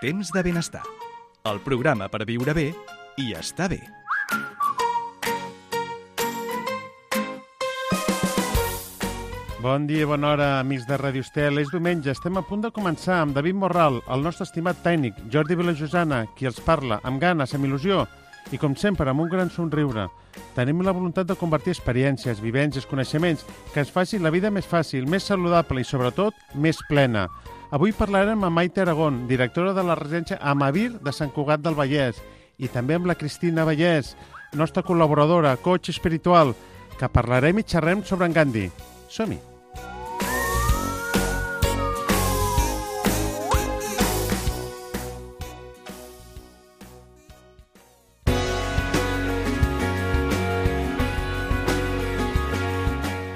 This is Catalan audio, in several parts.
Temps de benestar. El programa per viure bé i estar bé. Bon dia i bona hora, amics de Ràdio Estel. És diumenge, estem a punt de començar amb David Morral, el nostre estimat tècnic, Jordi Vilajosana, qui els parla, amb ganes, amb il·lusió i, com sempre, amb un gran somriure. Tenim la voluntat de convertir experiències, vivències, coneixements, que ens faci la vida més fàcil, més saludable i, sobretot, més plena. Avui parlarem amb Maite Aragón, directora de la residència Amavir de Sant Cugat del Vallès, i també amb la Cristina Vallès, nostra col·laboradora, coach espiritual, que parlarem i xerrem sobre en Gandhi. Som-hi!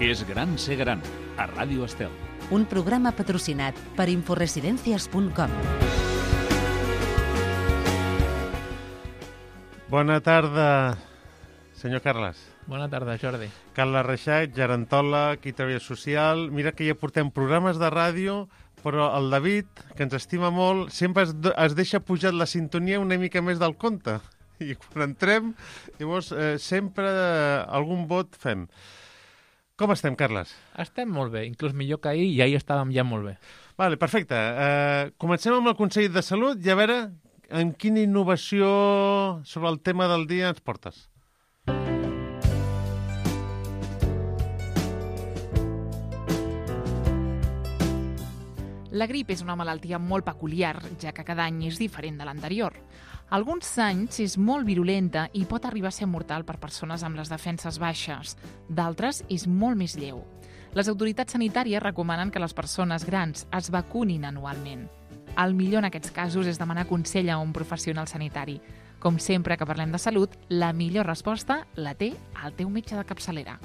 És gran ser gran, a Ràdio Estel. Un programa patrocinat per inforesidencias.com. Bona tarda, senyor Carles. Bona tarda, Jordi. Carles Reixac, gerontòleg i treball social. Mira que ja portem programes de ràdio, però el David, que ens estima molt, sempre es deixa pujar la sintonia una mica més del compte. I quan entrem, llavors sempre algun vot fem. Com estem, Carles? Estem molt bé, inclús millor que ahir, i ahir estàvem ja molt bé. Vale, perfecte. Comencem amb el Consell de Salut i a veure amb quina innovació sobre el tema del dia ens portes. La grip és una malaltia molt peculiar, ja que cada any és diferent de l'anterior. Alguns anys és molt virulenta i pot arribar a ser mortal per persones amb les defenses baixes. D'altres és molt més lleu. Les autoritats sanitàries recomanen que les persones grans es vacunin anualment. El millor en aquests casos és demanar consell a un professional sanitari. Com sempre que parlem de salut, la millor resposta la té el teu metge de capçalera.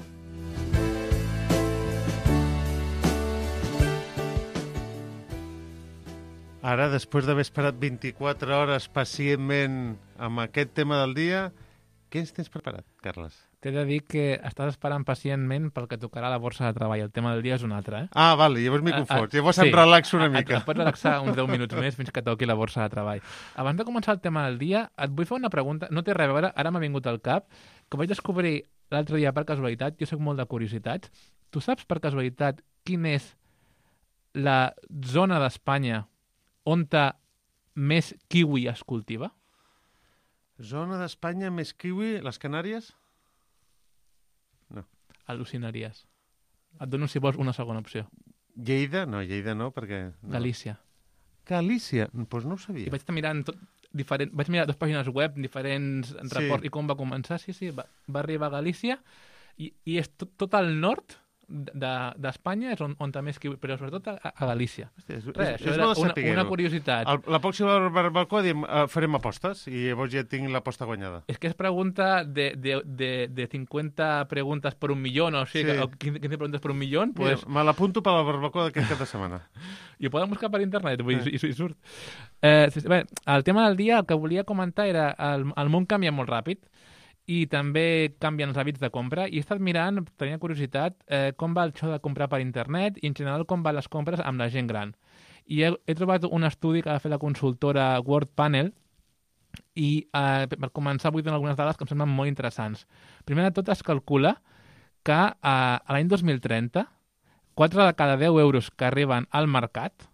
Ara, després d'haver esperat 24 hores pacientment amb aquest tema del dia, què ens tens preparat, Carles? T'he de dir que estàs esperant pacientment pel que tocarà la borsa de treball. El tema del dia és un altre, eh? Ah, vale, llavors m'hi confons. Llavors em relaxo una mica. Et pots relaxar uns 10 minuts més fins que toqui la borsa de treball. Abans de començar el tema del dia, et vull fer una pregunta. No té res a veure, ara m'ha vingut al cap, que vaig descobrir l'altre dia per casualitat. Jo soc molt de curiositats. Tu saps per casualitat quina és la zona d'Espanya on més kiwi es cultiva? Zona d'Espanya més kiwi, les Canàries? No. Al·lucinaries. Et dono, si vols, una segona opció. Lleida? No, Lleida no, perquè... No. Galícia. Galícia? Doncs no ho sabia. I vaig estar mirant vaig mirar 2 pàgines web, diferents reports, i com va començar. Sí, va arribar a Galícia i és tot al nord d'Espanya, és on també és kiwi, però sobretot a Galícia. Hòstia, Això era una curiositat. La pròxima balcó farem apostes i llavors ja tinc l'aposta guanyada. És que és pregunta de 50 preguntes per 1 milió, o sigui, sí. 15 preguntes per 1 milió. Pues... Me l'apunto per la barbacoa d'aquest cap de setmana. I ho poden buscar per internet, i surt. Bé, el tema del dia, el que volia comentar era el món canvia molt ràpid, i també canvien els hàbits de compra, i he estat mirant, tenia curiositat, com va això de comprar per internet i en general com van les compres amb la gent gran. I he trobat un estudi que va fer la consultora World Panel i per començar vull donar algunes dades que em semblen molt interessants. Primer de tot es calcula que a l'any 2030 4 de cada 10 euros que arriben al mercat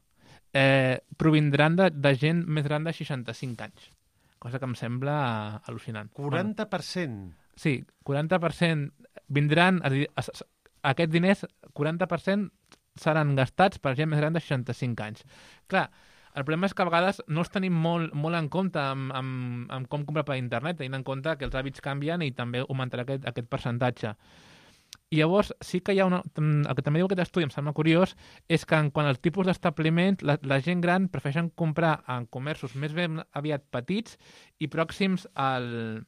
provindran de gent més gran de 65 anys. Cosa que em sembla al·lucinant. 40%? Sí, 40% vindran... Aquests diners, 40% seran gastats per gent més gran de 65 anys. Clar, el problema és que a vegades no els tenim molt en compte amb com comprar per internet, tenint en compte que els hàbits canvien i també augmentarà aquest percentatge. I llavors sí que hi ha el que també diu aquest estudi, em sembla curiós, és que quan el tipus d'establiment, la gent gran prefereixen comprar en comerços més ben aviat petits i pròxims al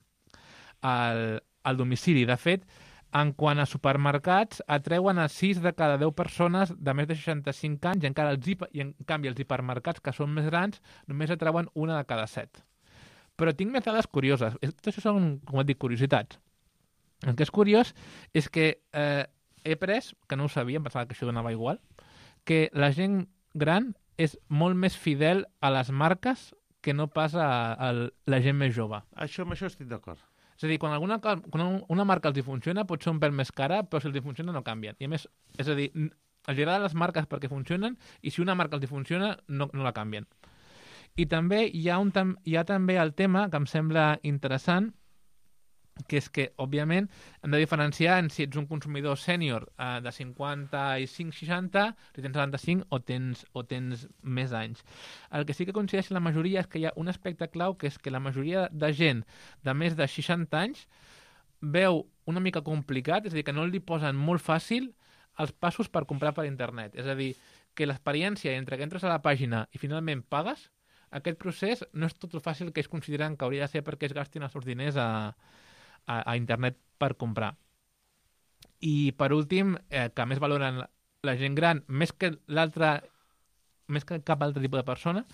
domicili. De fet, en quant a supermercats, atreuen a 6 de cada 10 persones de més de 65 anys i en canvi els hipermercats, que són més grans, només atreuen 1 de cada 7. Però tinc més dades curioses. Tot això són, com et dic, curiositats. El que és curiós és que he pres, que no ho sabia, em pensava que això donava igual, que la gent gran és molt més fidel a les marques que no pas a la gent més jove. Amb això estic d'acord. És a dir, quan una marca els hi funciona, pot ser un pèl més cara, però si els hi funciona no canvien. I a més, és a dir, els agraden les marques perquè funcionen i si una marca els hi funciona, no la canvien. I també hi ha també el tema que em sembla interessant, que és que, òbviament, hem de diferenciar en si ets un consumidor sènior de 55-60, si tens 75 o tens més anys. El que sí que coincideix la majoria és que hi ha un aspecte clau, que és que la majoria de gent de més de 60 anys veu una mica complicat, és a dir, que no li posen molt fàcil els passos per comprar per internet. És a dir, que l'experiència entre que entres a la pàgina i finalment pagues, aquest procés no és tot el fàcil que ells consideren que hauria de ser perquè es gastin els seus diners a internet per comprar. I per últim, que més valoren la gent gran, més que cap altre tipus de persona,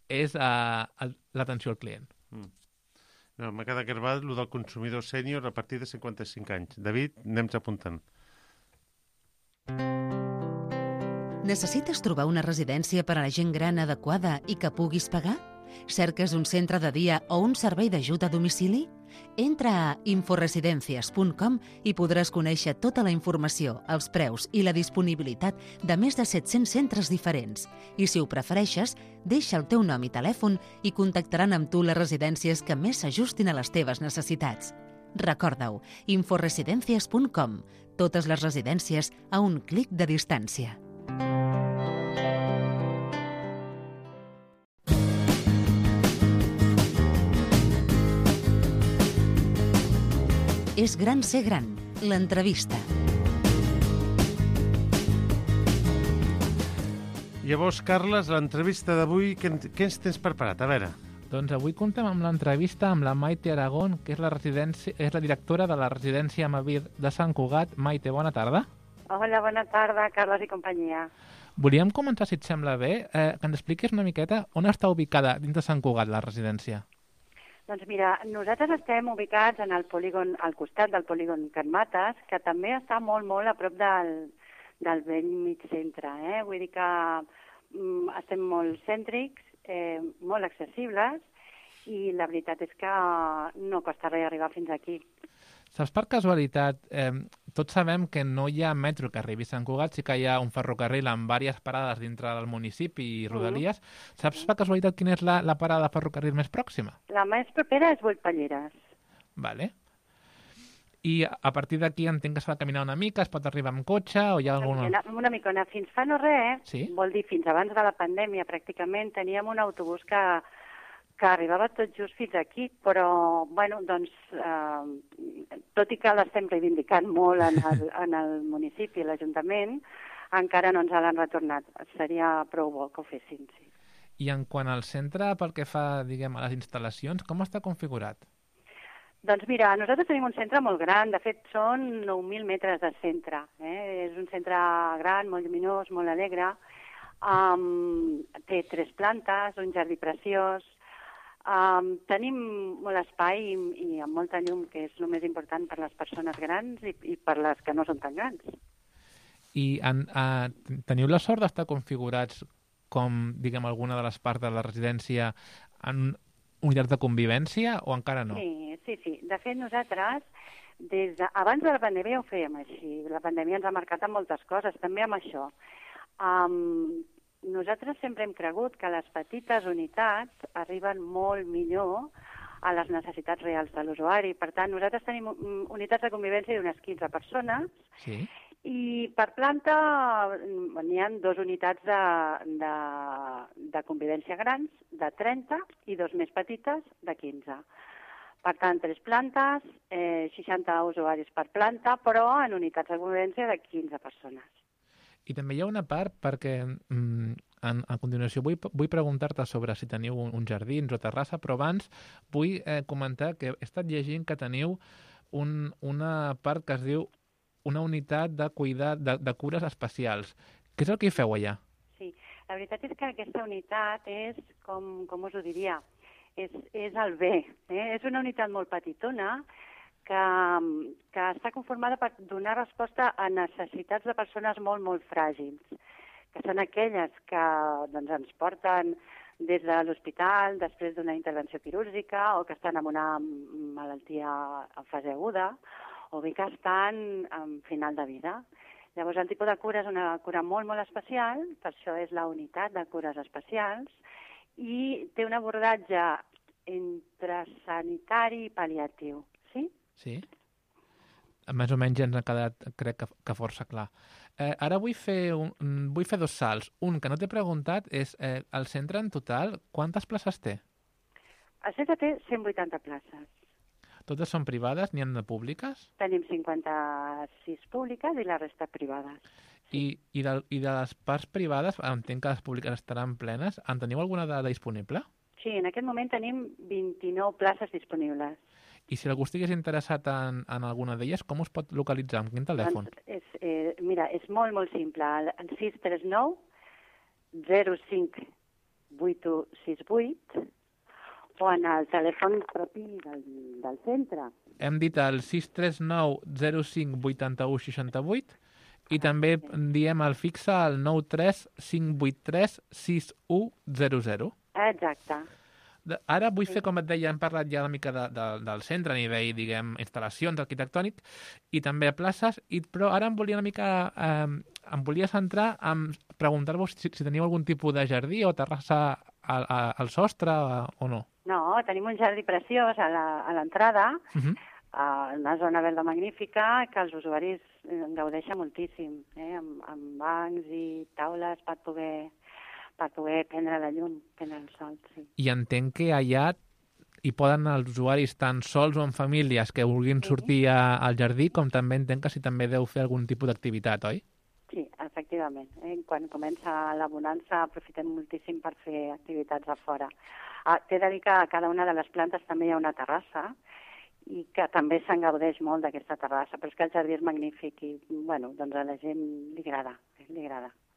és l'atenció al client. No, m'ha quedat gravat el del consumidor sènior a partir de 55 anys. David, anem-nos apuntant. Necessites trobar una residència per a la gent gran adequada i que puguis pagar? Cerques un centre de dia o un servei d'ajuda a domicili? Entra a inforesidencias.com i podràs conèixer tota la informació, els preus i la disponibilitat de més de 700 centres diferents. I si ho prefereixes, deixa el teu nom i telèfon i contactaran amb tu les residències que més s'ajustin a les teves necessitats. Recorda-ho, inforesidencias.com. Totes les residències a un clic de distància. És gran ser gran, l'entrevista. Llavors, Carles, l'entrevista d'avui, què ens tens preparat? A veure. Doncs avui contem amb l'entrevista amb la Maite Aragón, que és la directora de la residència Amavir de Sant Cugat. Maite, bona tarda. Hola, bona tarda, Carles i companyia. Volíem començar, si et sembla bé, que ens expliquis una miqueta on està ubicada dins de Sant Cugat la residència. Doncs mira, nosaltres estem ubicats en el polígon, al costat del polígon Can Mates, que també està molt, molt a prop del vell mig centre. Vull dir que estem molt cèntrics, molt accessibles, i la veritat és que no costa res arribar fins aquí. Saps, per casualitat, tots sabem que no hi ha metro que arribi a Sant Cugat, sí que hi ha un ferrocarril amb diverses parades dintre del municipi i rodalies. Saps, per casualitat, quina és la parada de ferrocarril més pròxima? La més propera és Vullpalleres. Vale. I a partir d'aquí entenc que s'ha de caminar una mica, es pot arribar amb cotxe o hi ha alguna... Una micona. Fins fa no res, sí? Vol dir fins abans de la pandèmia, pràcticament, teníem un autobús que arribava tot just fins aquí, però, bueno, doncs, tot i que l'estem reivindicant molt en el municipi, l'Ajuntament, encara no ens l'han retornat. Seria prou bo que ho fessin, sí. I en quant al centre, pel que fa, diguem, a les instal·lacions, com està configurat? Doncs mira, nosaltres tenim un centre molt gran, de fet són 9.000 metres de centre. És un centre gran, molt lluminós, molt alegre, té 3 plantes, un jardí preciós. Tenim molt espai i amb molta llum, que és el més important per les persones grans i per les que no són tan grans. I teniu la sort d'estar configurats com, diguem, alguna de les parts de la residència en unitats de convivència o encara no? Sí. De fet, nosaltres, abans de la pandèmia ho fèiem així. La pandèmia ens ha marcat amb moltes coses, també amb això. Nosaltres sempre hem cregut que les petites unitats arriben molt millor a les necessitats reals de l'usuari. Per tant, nosaltres tenim unitats de convivència d'unes 15 persones, sí? I per planta n'hi ha 2 unitats de convivència grans, de 30, i 2 més petites, de 15. Per tant, 3 plantes, 60 usuaris per planta, però en unitats de convivència de 15 persones. I també hi ha una part, perquè a continuació vull preguntar-te sobre si teniu uns jardins o terrassa, però abans vull comentar que he estat llegint que teniu una part que es diu una unitat de cures especials. Què és el que hi feu allà? Sí, la veritat és que aquesta unitat és, com us ho diria, és el bé. És una unitat molt petitona, que està conformada per donar resposta a necessitats de persones molt, molt fràgils, que són aquelles que doncs, ens porten des de l'hospital després d'una intervenció quirúrgica o que estan amb una malaltia en fase aguda o bé que estan en final de vida. Llavors, el tipus de cura és una cura molt, molt especial, per això és la unitat de cures especials, i té un abordatge entre sanitari i pal·liatiu, sí? Sí. Més o menys ens ha quedat, crec que força clar. Ara vull fer 2 salts. Un que no t'he preguntat és, el centre en total, quantes places té? El centre té 180 places. Totes són privades? N'hi ha de públiques? Tenim 56 públiques i la resta privades. I de les parts privades, entenc que les públiques estaran plenes, en teniu alguna dada disponible? Sí, en aquest moment tenim 29 places disponibles. I si algú estigués interessat en alguna d'elles, com us pot localitzar? Amb quin telèfon? Doncs mira, és molt, molt simple. El 639 05 8168 o en el telèfon propi del centre. Hem dit el 639 05 81 68 i també diem el fixe al 93 583 6100. Exacte. Ara vull fer, com et deia, hem parlat ja una mica del centre a nivell, diguem, instal·lacions, arquitectònic, i també places, però ara em volia centrar en preguntar-vos si teniu algun tipus de jardí o terrassa al sostre o no. No, tenim un jardí preciós a l'entrada, una zona verda magnífica que els usuaris gaudeixen moltíssim, amb bancs i taules per poder prendre la llum, prendre el sol, sí. I entenc que allà hi poden anar els usuaris tant sols o en famílies que vulguin sortir al jardí, com també entenc que si també deu fer algun tipus d'activitat, oi? Sí, efectivament. Quan comença la bonança aprofitem moltíssim per fer activitats a fora. T'he de dir que a cada una de les plantes també hi ha una terrassa i que també se'n gaudeix molt d'aquesta terrassa, però és que el jardí és magnífic i, bueno, doncs a la gent li agrada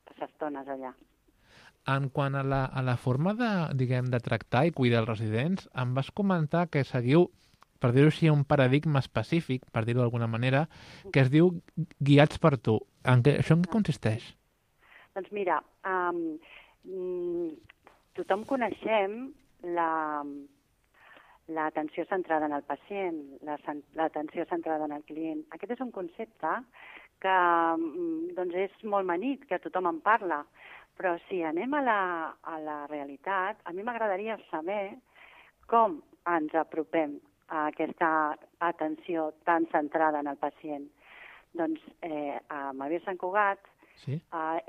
passar estones allà. En quant a la forma de tractar i cuidar els residents, em vas comentar que seguiu, per dir-ho així, un paradigma específic, per dir-ho d'alguna manera, que es diu guiats per tu. Això en què consisteix? Doncs mira, tothom coneixem l'atenció centrada en el pacient, l'atenció centrada en el client. Aquest és un concepte que doncs és molt manit, que tothom en parla, però si anem a la realitat, a mi m'agradaria saber com ens apropem a aquesta atenció tan centrada en el pacient. Doncs a Mavier Sant Cugat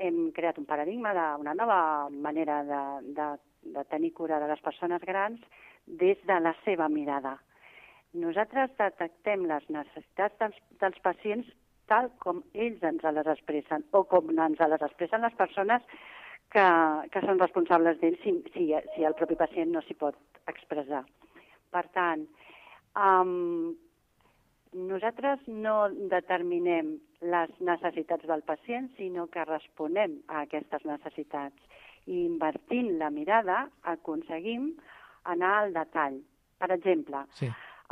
hem creat un paradigma d'una nova manera de tenir cura de les persones grans des de la seva mirada. Nosaltres detectem les necessitats dels pacients tal com ells ens les expressen o com ens les expressen les persones que són responsables d'ells si el propi pacient no s'hi pot expressar. Per tant, nosaltres no determinem les necessitats del pacient, sinó que responem a aquestes necessitats. I invertint la mirada aconseguim anar al detall. Per exemple,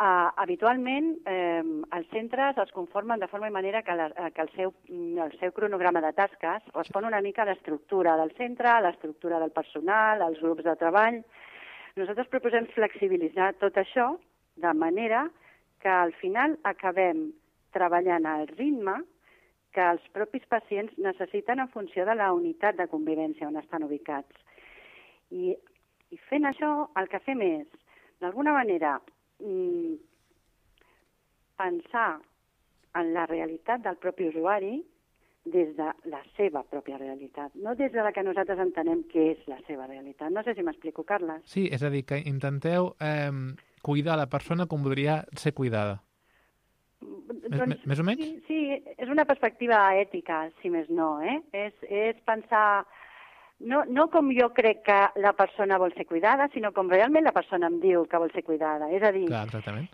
habitualment els centres es conformen de forma i manera que el seu cronograma de tasques respon una mica a l'estructura del centre, a l'estructura del personal, als grups de treball. Nosaltres proposem flexibilitzar tot això de manera que al final acabem treballant al ritme que els propis pacients necessiten en funció de la unitat de convivència on estan ubicats. I fent això, el que fem és, d'alguna manera, pensar en la realitat del propi usuari des de la seva pròpia realitat, no des de la que nosaltres entenem que és la seva realitat. No sé si m'explico, Carles. Sí, és a dir, que intenteu cuidar la persona com voldria ser cuidada. Doncs, més o menys? Sí, és una perspectiva ètica, si més no. És pensar no com jo crec que la persona vol ser cuidada, sinó com realment la persona em diu que vol ser cuidada. És a dir,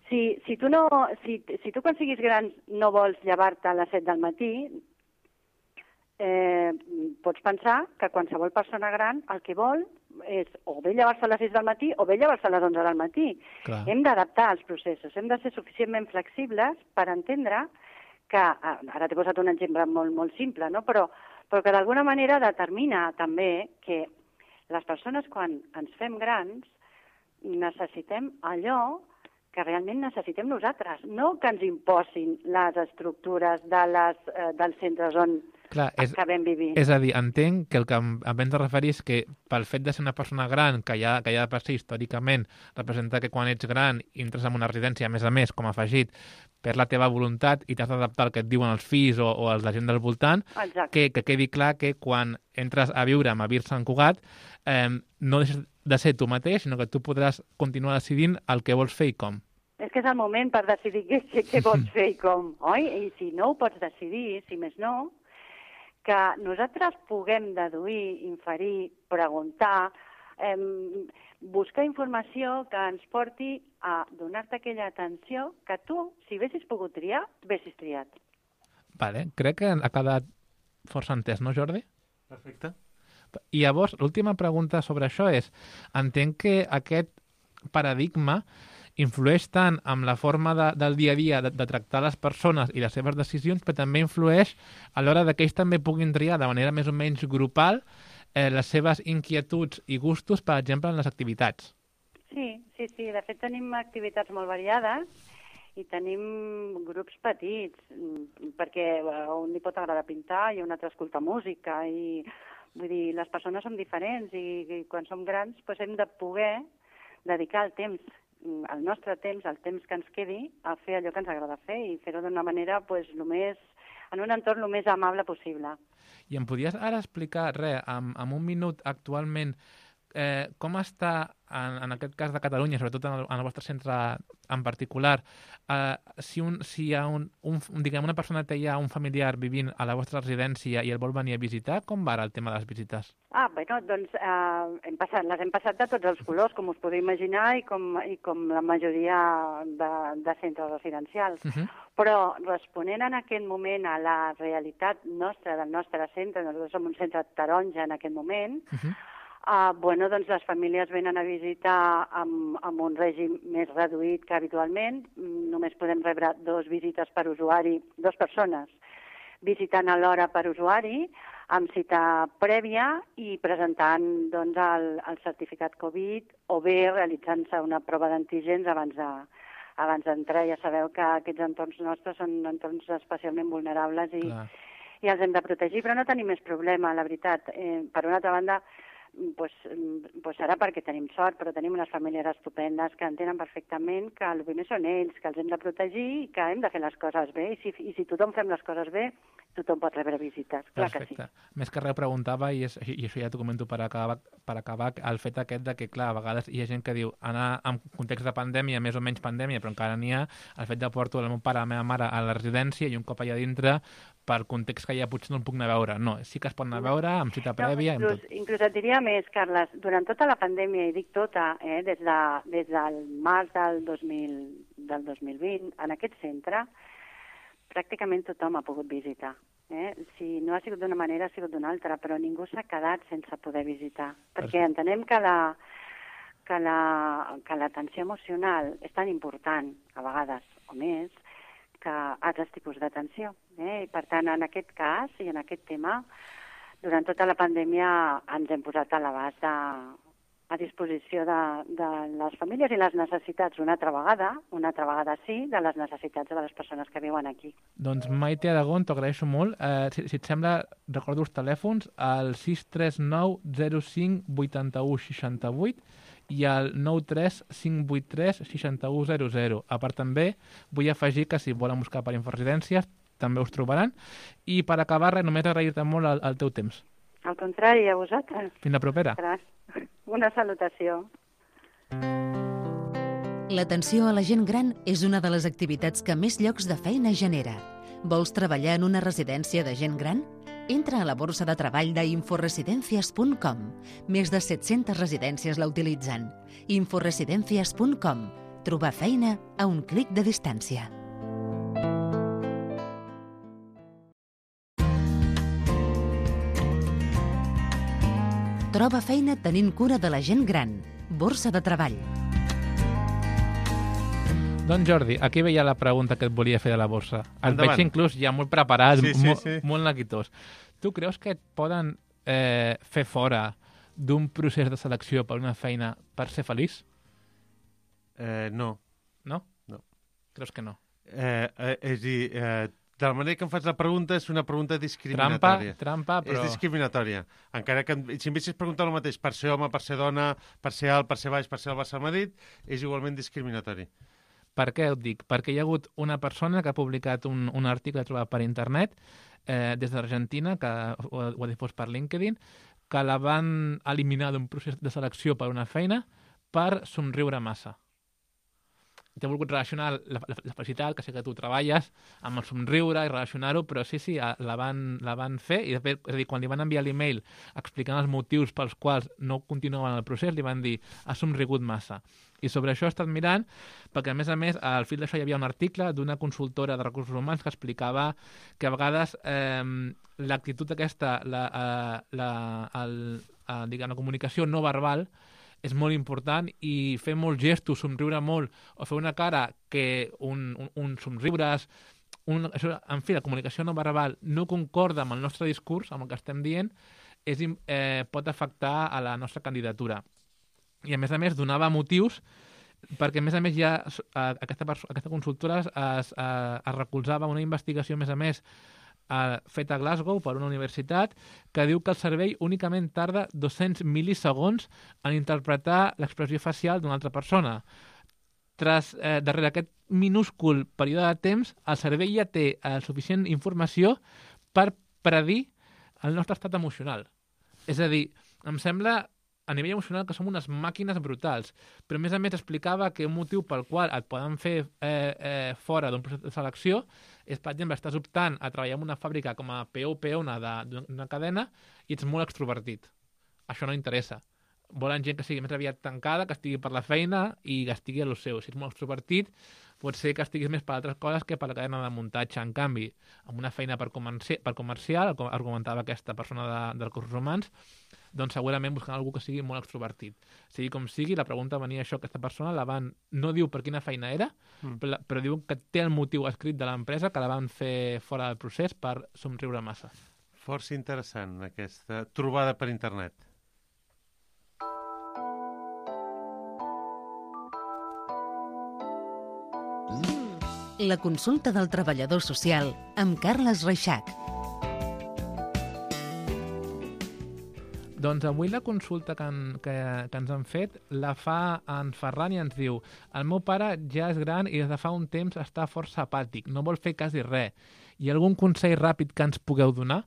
si tu quan siguis gran no vols llevar-te a les 7 del matí, pots pensar que qualsevol persona gran el que vol és o bé llevar-se a les 6 del matí o bé llevar-se a les 11 del matí. Clar. Hem d'adaptar els processos, hem de ser suficientment flexibles per entendre que, ara t'he posat un exemple molt, molt simple, no? però que d'alguna manera determina també que les persones quan ens fem grans necessitem allò que realment necessitem nosaltres, no que ens imposin les estructures dels centres on acabem vivint. És a dir, entenc que el que em vens a referir és que pel fet de ser una persona gran, que ja de per si històricament representa que quan ets gran entres en una residència, a més, com a afegit, per la teva voluntat i t'has d'adaptar al que et diuen els fills o els de gent del voltant, que quedi clar que quan entres a viure a Vir Sant Cugat no deixes de ser tu mateix, sinó que tu podràs continuar decidint el que vols fer i com. És que és el moment per decidir què vols fer i com, oi? I si no ho pots decidir, si més no, que nosaltres puguem deduir, inferir, preguntar, buscar informació que ens porti a donar-te aquella atenció que tu, si haguessis pogut triar, haguessis triat. Vale, crec que ha quedat força entès, no, Jordi? Perfecte. I llavors, l'última pregunta sobre això és, entenc que aquest paradigma influeix tant amb la forma del dia a dia de tractar les persones i les seves decisions, però també influeix a l'hora que ells també puguin triar de manera més o menys grupal les seves inquietuds i gustos, per exemple, en les activitats. Sí. De fet, tenim activitats molt variades i tenim grups petits, perquè a un li pot agradar pintar i a un altre escoltar música. I, vull dir, les persones som diferents i quan som grans doncs hem de poder dedicar el temps, el nostre temps, el temps que ens quedi, a fer allò que ens agrada fer i fer-ho d'una manera en un entorn el més amable possible. I em podries ara explicar, en un minut actualment, com està, en aquest cas de Catalunya, sobretot en el vostre centre en particular, si hi ha una persona té ja un familiar vivint a la vostra residència i el vol venir a visitar, com va ara el tema de les visites? Doncs les hem passat de tots els colors, com us podeu imaginar, i com la majoria de centres residencials. Però responent en aquest moment a la realitat nostra, del nostre centre, nosaltres som un centre taronja en aquest moment, doncs les famílies venen a visitar amb un règim més reduït que habitualment. Només podem rebre 2 visites per usuari, 2 persones visitant alhora per usuari, amb cita prèvia i presentant el certificat Covid o bé realitzant-se una prova d'antígens abans d'entrar. Ja sabeu que aquests entorns nostres són entorns especialment vulnerables i els hem de protegir, però no tenim més problema, la veritat. Per una altra banda, serà perquè tenim sort, però tenim unes famílies estupendes que entenen perfectament que el primer són ells, que els hem de protegir i que hem de fer les coses bé. I si tothom fem les coses bé, tothom pot rebre visites. Clar que sí. Més que res preguntava, i això ja t'ho comento per acabar, el fet aquest de que, clar, a vegades hi ha gent que diu anar en context de pandèmia, més o menys pandèmia, però encara n'hi ha, el fet de portar el meu pare, la meva mare a la residència i un cop allà dintre, per context que ja potser no el puc anar a veure. No, sí que es pot anar a veure amb cita prèvia. Inclús et diria més, Carles, durant tota la pandèmia, i dic tota, des del març del 2020, en aquest centre, pràcticament tothom ha pogut visitar. Si no ha sigut d'una manera, ha sigut d'una altra, però ningú s'ha quedat sense poder visitar. Perquè entenem que l'atenció emocional és tan important, a vegades, o més, que altres tipus d'atenció. I per tant, en aquest cas i en aquest tema, durant tota la pandèmia ens hem posat a l'abast a disposició de les famílies i les necessitats una altra vegada sí, de les necessitats de les persones que viuen aquí. Doncs Maite Aragón, t'ho agraeixo molt. Si et sembla, recordo els telèfons, el 639 05 81 68 i el 93 583 6100. A part també vull afegir que si volen buscar per Inforesidències també us trobaran. I per acabar, només agrair-te molt el teu temps. Al contrari, a vosaltres. Fins la propera. Una salutació. L'atenció a la gent gran és una de les activitats que més llocs de feina genera. Vols treballar en una residència de gent gran? Entra a la borsa de treball d'inforesidencias.com. Més de 700 residències la utilitzen. Inforesidencias.com. Trobar feina a un clic de distància. Troba feina tenint cura de la gent gran. Borsa de treball. Doncs Jordi, aquí veia la pregunta que et volia fer de la borsa. El veig inclús ja molt preparat, molt neguitós. Tu creus que et poden fer fora d'un procés de selecció per una feina per ser feliç? No. No? No. Creus que no? És a dir, de la manera que em fas la pregunta és una pregunta discriminatòria. Trampa, però... És discriminatòria. Encara que si em haguessis preguntat el mateix per ser home, per ser dona, per ser alt, per ser baix, per ser el Barça Madrid, és igualment discriminatori. Per què ho dic? Perquè hi ha hagut una persona que ha publicat un article trobat per internet des d'Argentina, que ho ha difós per LinkedIn, que la van eliminar d'un procés de selecció per una feina per somriure massa. T'he volgut relacionar la felicitat, que sé que tu treballes, amb el somriure i relacionar-ho, però sí, la van fer, i de fet, és a dir, quan li van enviar l'email explicant els motius pels quals no continuaven el procés, li van dir, has somrigut massa. I sobre això he estat mirant, perquè a més, al fil d'això hi havia un article d'una consultora de recursos humans que explicava que a vegades l'actitud aquesta, la comunicació no verbal, és molt important, i fer molts gestos, somriure molt, o fer una cara que un somriures, en fi, la comunicació no verbal no concorda amb el nostre discurs, amb el que estem dient, pot afectar a la nostra candidatura. I a més donava motius, perquè a més aquesta consultora es recolzava una investigació a més feta a Glasgow per una universitat, que diu que el cervell únicament tarda 200 mil·lisegons en interpretar l'expressió facial d'una altra persona. Darrere aquest minúscul període de temps, el cervell ja té suficient informació per predir el nostre estat emocional. És a dir, em sembla a nivell emocional que som unes màquines brutals, però a més explicava que un motiu pel qual et poden fer fora d'un procés de selecció és, per exemple, estàs optant a treballar en una fàbrica com a PO d'una cadena i ets molt extrovertit. Això no interessa. Volen gent que sigui més aviat tancada, que estigui per la feina i que estigui a lo seu. Si ets molt extrovertit, pot ser que estiguis més per altres coses que per la cadena de muntatge. En canvi, amb una feina per comercial, com argumentava aquesta persona de recursos humans, doncs segurament buscant algú que sigui molt extrovertit. Sigui com sigui, la pregunta venia això, aquesta persona no diu per quina feina era, però diu que té el motiu escrit de l'empresa que la van fer fora del procés per somriure massa. Força interessant, aquesta trobada per internet. La consulta del treballador social amb Carles Reixac. Doncs avui la consulta que ens han fet la fa en Ferran i ens diu: el meu pare ja és gran i des de fa un temps està força apàtic, no vol fer quasi res. Hi ha algun consell ràpid que ens pugueu donar?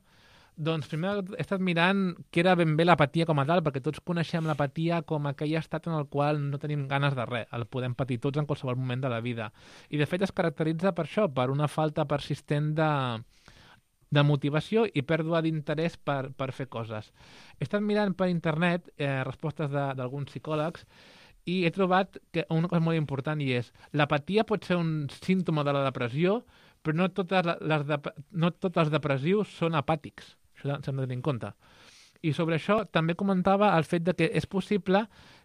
Doncs primer he estat mirant què era ben bé l'apatia com a tal, perquè tots coneixem l'apatia com aquell estat en el qual no tenim ganes de res. El podem patir tots en qualsevol moment de la vida. I de fet es caracteritza per això, per una falta persistent de motivació i pèrdua d'interès per fer coses. He estat mirant per internet respostes d'alguns psicòlegs i he trobat que una cosa molt important, i és l'apatia pot ser un símptoma de la depressió, però no tots els depressius són apàtics. Això s'ha de tenir en compte. I sobre això també comentava el fet de que és possible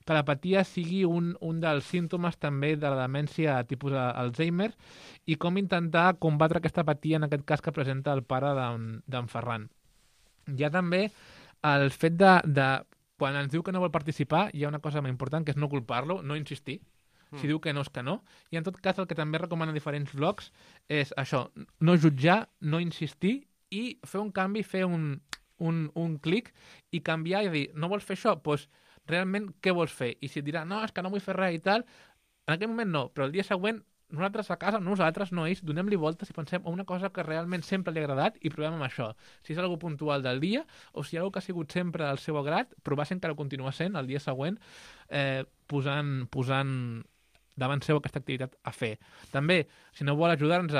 que l'apatia sigui un dels símptomes també de la demència tipus Alzheimer, i com intentar combatre aquesta apatia, en aquest cas que presenta el pare d'en Ferran. Hi ha també el fet de quan ens diu que no vol participar, hi ha una cosa molt important, que és no culpar-lo, no insistir. Si diu que no, és que no. I en tot cas el que també recomanen diferents blogs és això, no jutjar, no insistir i fer un canvi, fer un clic i canviar i dir, no vols fer això? Doncs realment què vols fer? I si et dirà, no, és que no vull fer res i tal, en aquell moment no, però el dia següent nosaltres a casa, nosaltres, no ells, donem-li voltes i pensem en una cosa que realment sempre li ha agradat i provem amb això. Si és algo puntual del dia o si hi ha algo que ha sigut sempre al seu agrat, provar si encara continua sent el dia següent, posant davant seu aquesta activitat a fer. També, si no vol ajudar-nos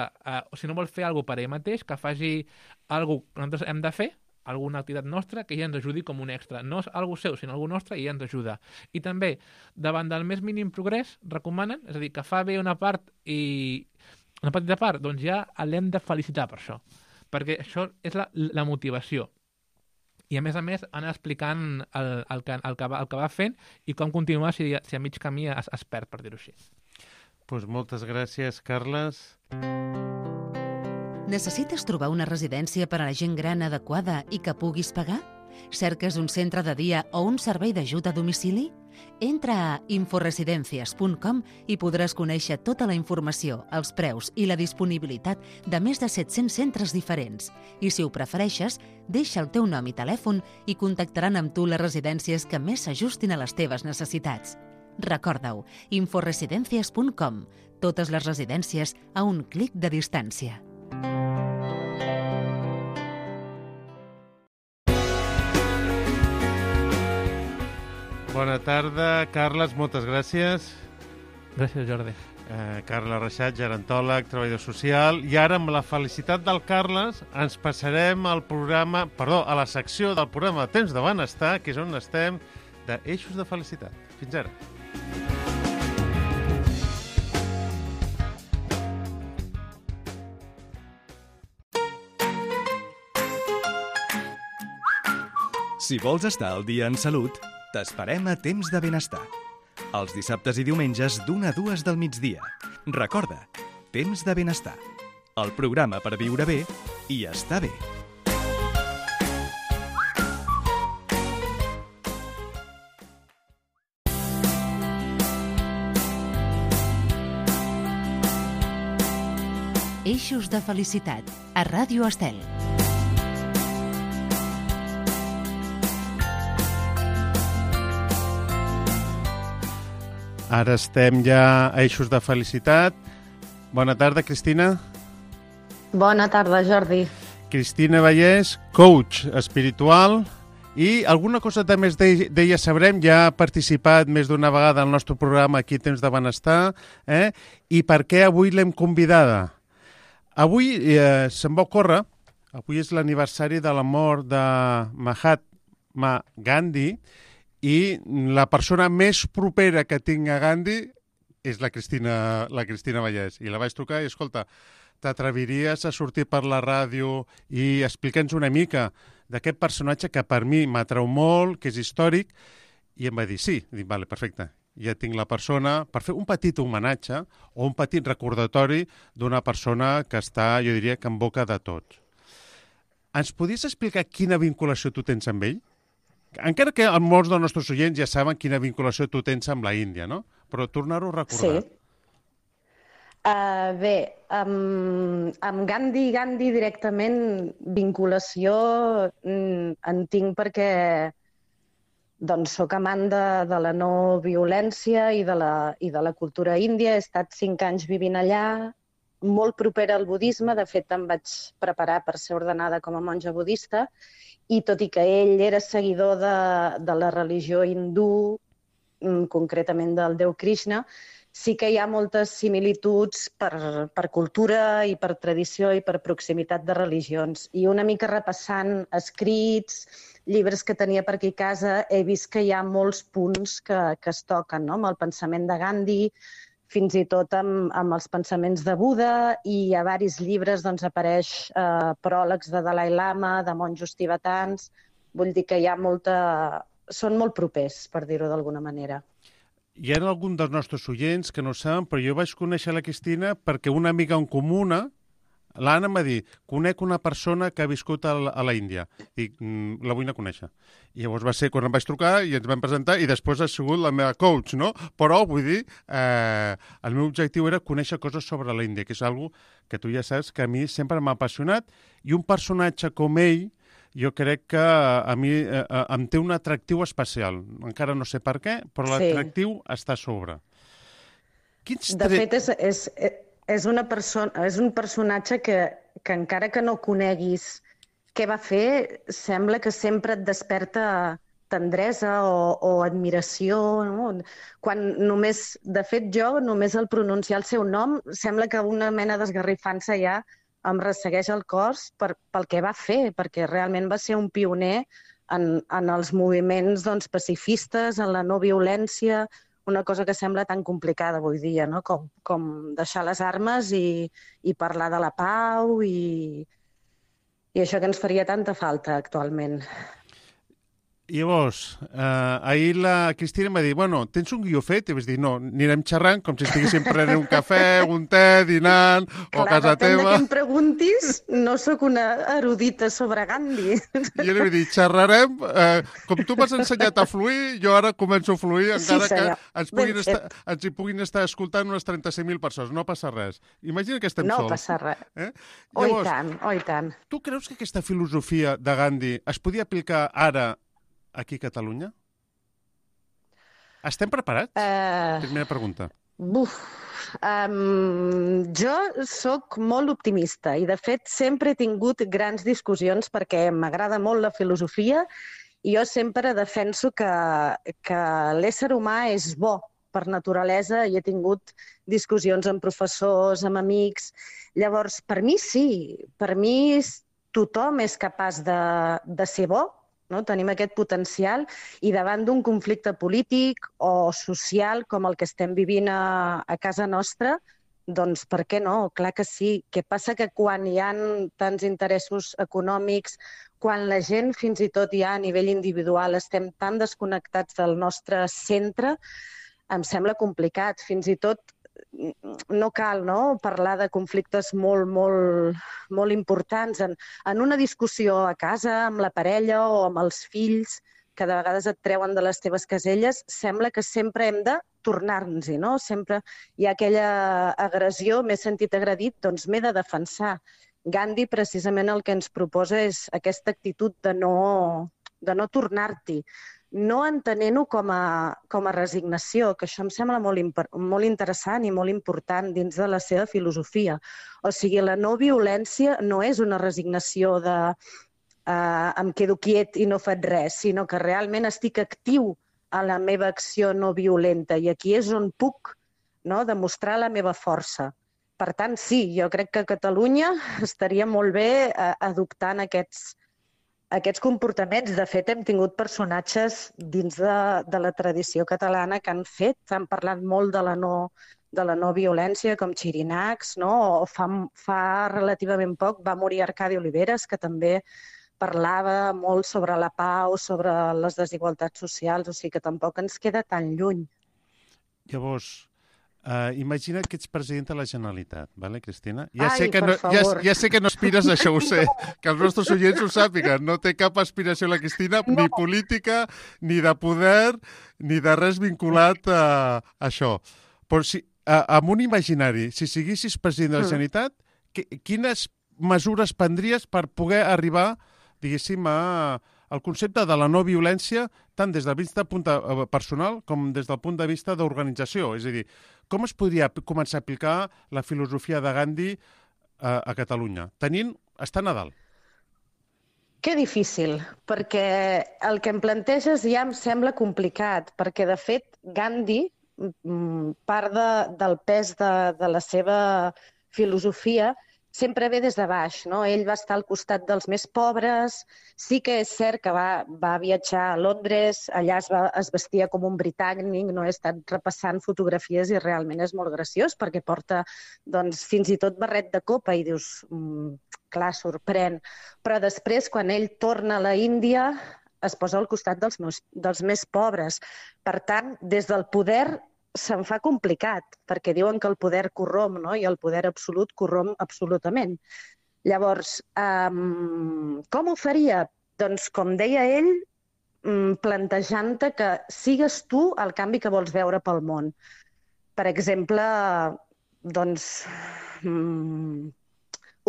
si no vol fer alguna cosa per ell mateix, que faci alguna cosa que nosaltres hem de fer, alguna activitat nostra, que ja ens ajudi com un extra. No és alguna seu, sinó alguna nostra i ja ens ajuda. I també, davant del més mínim progrés, recomanen, és a dir, que fa bé una part i una petita part, doncs ja l'hem de felicitar per això. Perquè això és la motivació. I a més, anar explicant el que va fent i com continuar si a mig camí es perd, per dir-ho així. Doncs moltes gràcies, Carles. Necessites trobar una residència per a la gent gran adequada i que puguis pagar? Cerques un centre de dia o un servei d'ajut a domicili? Entra a inforesidencias.com i podràs conèixer tota la informació, els preus i la disponibilitat de més de 700 centres diferents. I si ho prefereixes, deixa el teu nom i telèfon i contactaran amb tu les residències que més s'ajustin a les teves necessitats. Recorda-ho, inforesidencias.com. Totes les residències a un clic de distància. Bona tarda, Carles, moltes gràcies. Gràcies, Jordi. Carles Reixat, gerontòleg, treballador social. I ara, amb la felicitat del Carles, ens passarem al programa, a la secció del programa Temps de Benestar, que és on estem, d'Eixos de Felicitat. Fins ara. Si vols estar al dia en salut, t'esperem a Temps de Benestar. Els dissabtes i diumenges d'1 a 2 del migdia. Recorda, Temps de Benestar. El programa per viure bé i estar bé. Eixos de felicitat, a Ràdio Estel. Ara estem ja a Eixos de Felicitat. Bona tarda, Cristina. Bona tarda, Jordi. Cristina Vallès, coach espiritual, i alguna cosa més d'ella sabrem, ja ha participat més d'una vegada al nostre programa aquí Temps de Benestar, i per què avui l'hem convidada? Avui se'n va ocórrer, avui és l'aniversari de la mort de Mahatma Gandhi, i la persona més propera que tinc a Gandhi és la Cristina Vallès. I la vaig trucar i, escolta, t'atreviries a sortir per la ràdio i explica'ns una mica d'aquest personatge que per mi m'atrau molt, que és històric, i em va dir sí. Dic, vale, perfecte, ja tinc la persona per fer un petit homenatge o un petit recordatori d'una persona que està, jo diria, que en boca de tots. Ens podries explicar quina vinculació tu tens amb ell? Encara que molts dels nostres oients ja saben quina vinculació tu tens amb la Índia, no? Però tornar-ho a recordar. Sí. Bé, amb Gandhi directament vinculació en tinc perquè soc amant de la no violència i de la cultura índia. He estat 5 anys vivint allà, molt propera al budisme. De fet, em vaig preparar per ser ordenada com a monja budista, i tot i que ell era seguidor de la religió hindú, concretament del déu Krishna, sí que hi ha moltes similituds per cultura i per tradició i per proximitat de religions. I una mica repassant escrits, llibres que tenia per aquí a casa, he vist que hi ha molts punts que es toquen, no? Amb el pensament de Gandhi, fins i tot amb els pensaments de Buda, i a diversos llibres apareix pròlegs de Dalai Lama, de monjos tibetans. Vull dir que hi ha són molt propers, per dir-ho d'alguna manera. Hi ha algun dels nostres oients que no saben, però jo vaig conèixer la Cristina perquè una amiga en comuna, l'Anna, em va dir, conec una persona que ha viscut a la Índia. Dic, la vull anar a conèixer. I llavors va ser quan em vaig trucar i ens vam presentar i després ha sigut la meva coach, no? Però, vull dir, el meu objectiu era conèixer coses sobre la Índia, que és una que tu ja saps que a mi sempre m'ha apassionat, i un personatge com ell, jo crec que a mi em té un atractiu especial. Encara no sé per què, però l'atractiu està a sobre. De fet, és un personatge que encara que no coneguis què va fer, sembla que sempre et desperta tendresa o admiració, no? De fet, jo només al pronunciar el seu nom sembla que una mena d'esgarrifança ja em ressegueix el cos pel que va fer, perquè realment va ser un pioner en els moviments pacifistes, en la no violència, una cosa que sembla tan complicada avui dia, no? Com deixar les armes i parlar de la pau i això que ens faria tanta falta actualment. Llavors, ahir la Cristina em va dir, bueno, tens un guió fet? I vaig dir, no, anirem xerrant com si estiguéssim prenent un cafè, un te, dinant, o a casa Depèn de teva. què em preguntis, no sóc una erudita sobre Gandhi. I jo li vaig dir, xerrarem, com tu m'has ensenyat a fluir, jo ara començo a fluir, encara que ens hi puguin estar escoltant unes 36.000 persones. No passa res. Imagina que estem sols. No passa res. Llavors, i tant. tu creus que aquesta filosofia de Gandhi es podia aplicar ara aquí a Catalunya? Estem preparats? Primera pregunta. Jo sóc molt optimista i, de fet, sempre he tingut grans discussions perquè m'agrada molt la filosofia i jo sempre defenso que l'ésser humà és bo per naturalesa i he tingut discussions amb professors, amb amics. Llavors, per mi sí, per mi tothom és capaç de ser bo, no? Tenim aquest potencial i davant d'un conflicte polític o social com el que estem vivint a casa nostra, doncs per què no? Clar que sí. Què passa? Que quan hi ha tants interessos econòmics, quan la gent fins i tot ja a nivell individual estem tan desconnectats del nostre centre, em sembla complicat. Fins i tot no cal parlar de conflictes molt importants. En una discussió a casa, amb la parella o amb els fills, que de vegades et treuen de les teves caselles, sembla que sempre hem de tornar-nos-hi, no? Sempre hi ha aquella agressió, m'he sentit agredit, doncs m'he de defensar. Gandhi precisament el que ens proposa és aquesta actitud de no tornar-t'hi, no entenent-ho com a resignació, que això em sembla molt interessant i molt important dins de la seva filosofia. O sigui, la no violència no és una resignació de em quedo quiet i no faig res, sinó que realment estic actiu a la meva acció no violenta i aquí és on puc demostrar la meva força. Per tant, sí, jo crec que a Catalunya estaria molt bé adoptant aquests comportaments. De fet, hem tingut personatges dins de la tradició catalana que han parlat molt de la no violència, com Xirinacs, o fa relativament poc va morir Arcadi Oliveres, que també parlava molt sobre la pau, sobre les desigualtats socials, o sigui que tampoc ens queda tan lluny. Llavors, imagina que ets president de la Generalitat, vale, Cristina? Favor. Ja sé que no aspires a això, ho sé, que els nostres oients ho sàpiguen. No té cap aspiració la Cristina, ni política, ni de poder, ni de res vinculat a això. Però amb un imaginari, si siguessis president de la Generalitat, quines mesures prendries per poder arribar, diguéssim, al concepte de la no violència, tant des del punt de vista personal com des del punt de vista d'organització? És a dir, com es podria començar a aplicar la filosofia de Gandhi a Catalunya, estar a dalt? Que difícil, perquè el que em planteges ja em sembla complicat, perquè, de fet, Gandhi, part del pes de la seva filosofia, sempre ve des de baix, no? Ell va estar al costat dels més pobres, sí que és cert que va viatjar a Londres, allà es vestia com un britànic, no? He estat repassant fotografies i realment és molt graciós perquè porta fins i tot barret de copa i dius, clar, sorprèn. Però després, quan ell torna a la Índia, es posa al costat dels més pobres. Per tant, des del poder se'n fa complicat, perquè diuen que el poder corromp, no? I el poder absolut corromp absolutament. Llavors, com ho faria? Doncs, com deia ell, plantejant-te que sigues tu el canvi que vols veure pel món. Per exemple,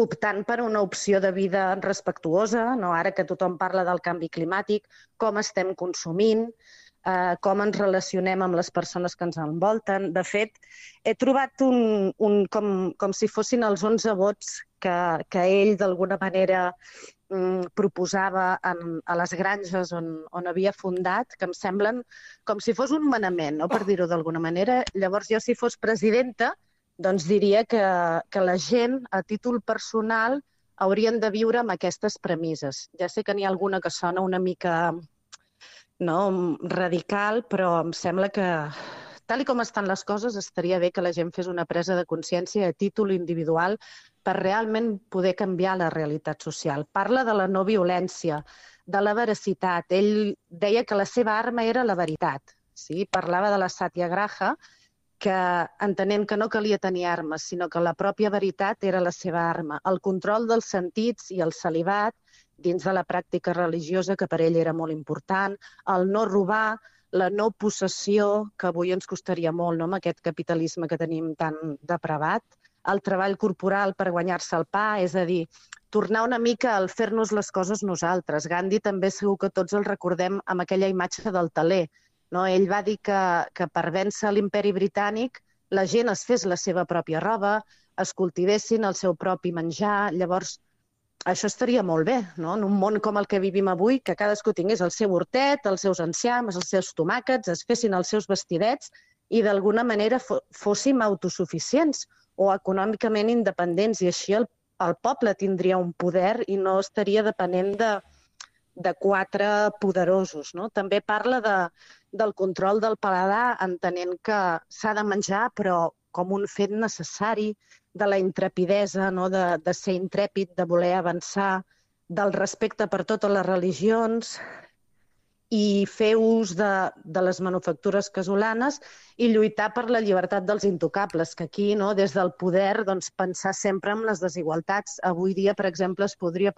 optant per una opció de vida respectuosa, no? Ara que tothom parla del canvi climàtic, com estem consumint, com ens relacionem amb les persones que ens envolten. De fet, he trobat com si fossin els 11 vots que ell d'alguna manera proposava a les granges on havia fundat, que em semblen com si fos un manament, no? Per dir-ho d'alguna manera. Llavors, jo si fos presidenta, doncs diria que la gent, a títol personal, haurien de viure amb aquestes premisses. Ja sé que n'hi ha alguna que sona una mica radical, però em sembla que, tal com estan les coses, estaria bé que la gent fes una presa de consciència a títol individual per realment poder canviar la realitat social. Parla de la no violència, de la veracitat. Ell deia que la seva arma era la veritat. Sí? Parlava de la satyagraha, que entenent que no calia tenir armes, sinó que la pròpia veritat era la seva arma. El control dels sentits i el celibat dins de la pràctica religiosa, que per ell era molt important, el no robar, la no possessió, que avui ens costaria molt, no?, amb aquest capitalisme que tenim tan depravat, el treball corporal per guanyar-se el pa, és a dir, tornar una mica al fer-nos les coses nosaltres. Gandhi també segur que tots el recordem amb aquella imatge del teler. No? Ell va dir que per vèncer l'imperi britànic la gent es fes la seva pròpia roba, es cultivessin el seu propi menjar. Llavors, això estaria molt bé, no? En un món com el que vivim avui, que cadascú tingués el seu hortet, els seus enciams, els seus tomàquets, es fessin els seus vestidets i d'alguna manera fóssim autosuficients o econòmicament independents, i així el poble tindria un poder i no estaria depenent de quatre poderosos. No? També parla del control del paladar, entenent que s'ha de menjar, però com un fet necessari, de la intrepidesa, no? de ser intrèpid, de voler avançar, del respecte per totes les religions i fer ús de les manufactures casolanes i lluitar per la llibertat dels intocables, que aquí, no, des del poder, doncs, pensar sempre en les desigualtats. Avui dia, per exemple, es podria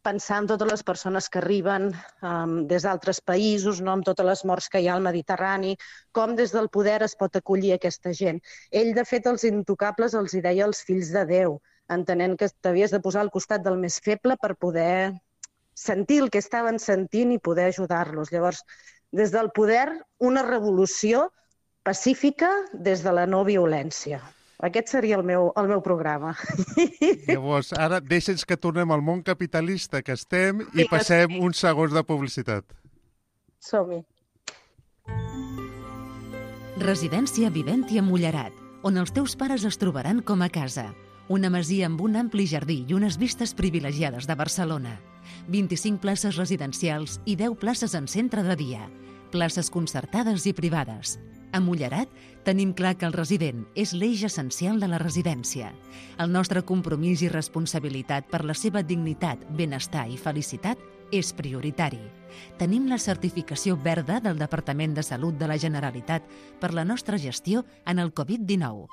pensar en totes les persones que arriben des d'altres països, no, amb totes les morts que hi ha al Mediterrani, com des del poder es pot acollir aquesta gent. Ell, de fet, els intocables els hi deia els fills de Déu, entenent que t'havies de posar al costat del més feble per poder sentir el que estaven sentint i poder ajudar-los. Llavors, des del poder, una revolució pacífica des de la no violència. Aquest seria el meu programa. Llavors, ara deixa'ns que tornem al món capitalista que estem i passem uns segons de publicitat. Som-hi. Residència Viventi a Mullerat, on els teus pares es trobaran com a casa. Una masia amb un ampli jardí i unes vistes privilegiades de Barcelona. 25 places residencials i 10 places en centre de dia. Places concertades i privades. A Mullerat tenim clar que el resident és l'eix essencial de la residència. El nostre compromís i responsabilitat per la seva dignitat, benestar i felicitat és prioritari. Tenim la certificació verda del Departament de Salut de la Generalitat per la nostra gestió en el Covid-19.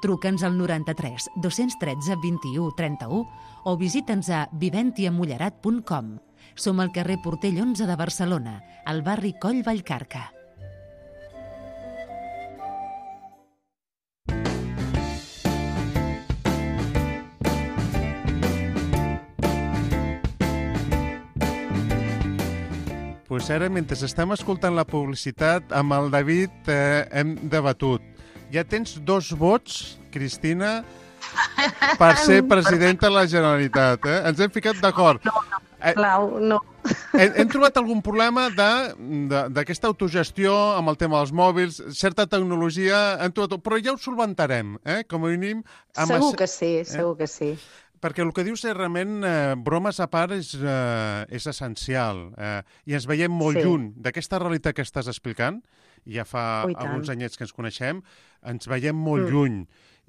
Truca'ns al 93 213 21 31 o visita'ns a viventiamullerat.com. Som al carrer Portell 11 de Barcelona, al barri Coll Vallcarca. Pues ara, mentre estem escoltant la publicitat, amb el David hem debatut. Ja tens 2 vots, Cristina, per ser presidenta de la Generalitat. Ens hem ficat d'acord. No. Hem trobat algun problema d'aquesta autogestió amb el tema dels mòbils, certa tecnologia, però ja ho solventarem, com a mínim. Segur que sí. Perquè el que dius és realment, bromes a part, és essencial. I ens veiem molt lluny d'aquesta realitat que estàs explicant. Ja fa alguns anyets que ens coneixem, ens veiem molt lluny.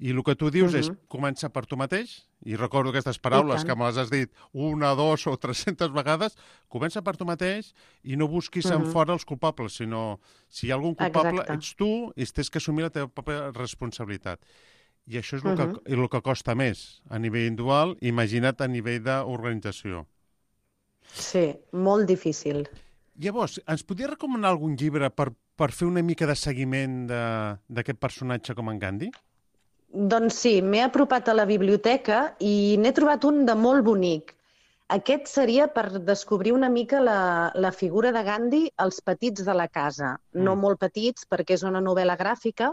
I el que tu dius és, comença per tu mateix, i recordo aquestes paraules que me les has dit 1, 2 o 300 vegades, comença per tu mateix i no busquis en fora els culpables, sinó si hi ha algun culpable, ets tu i tens que assumir la teva pròpia responsabilitat. I això és el que costa més a nivell individual, imagina't a nivell d'organització. Sí, molt difícil. Llavors, ens podries recomanar algun llibre per fer una mica de seguiment d'aquest personatge com en Gandhi? Doncs sí, m'he apropat a la biblioteca i n'he trobat un de molt bonic. Aquest seria per descobrir una mica la figura de Gandhi als petits de la casa. No molt petits, perquè és una novel·la gràfica,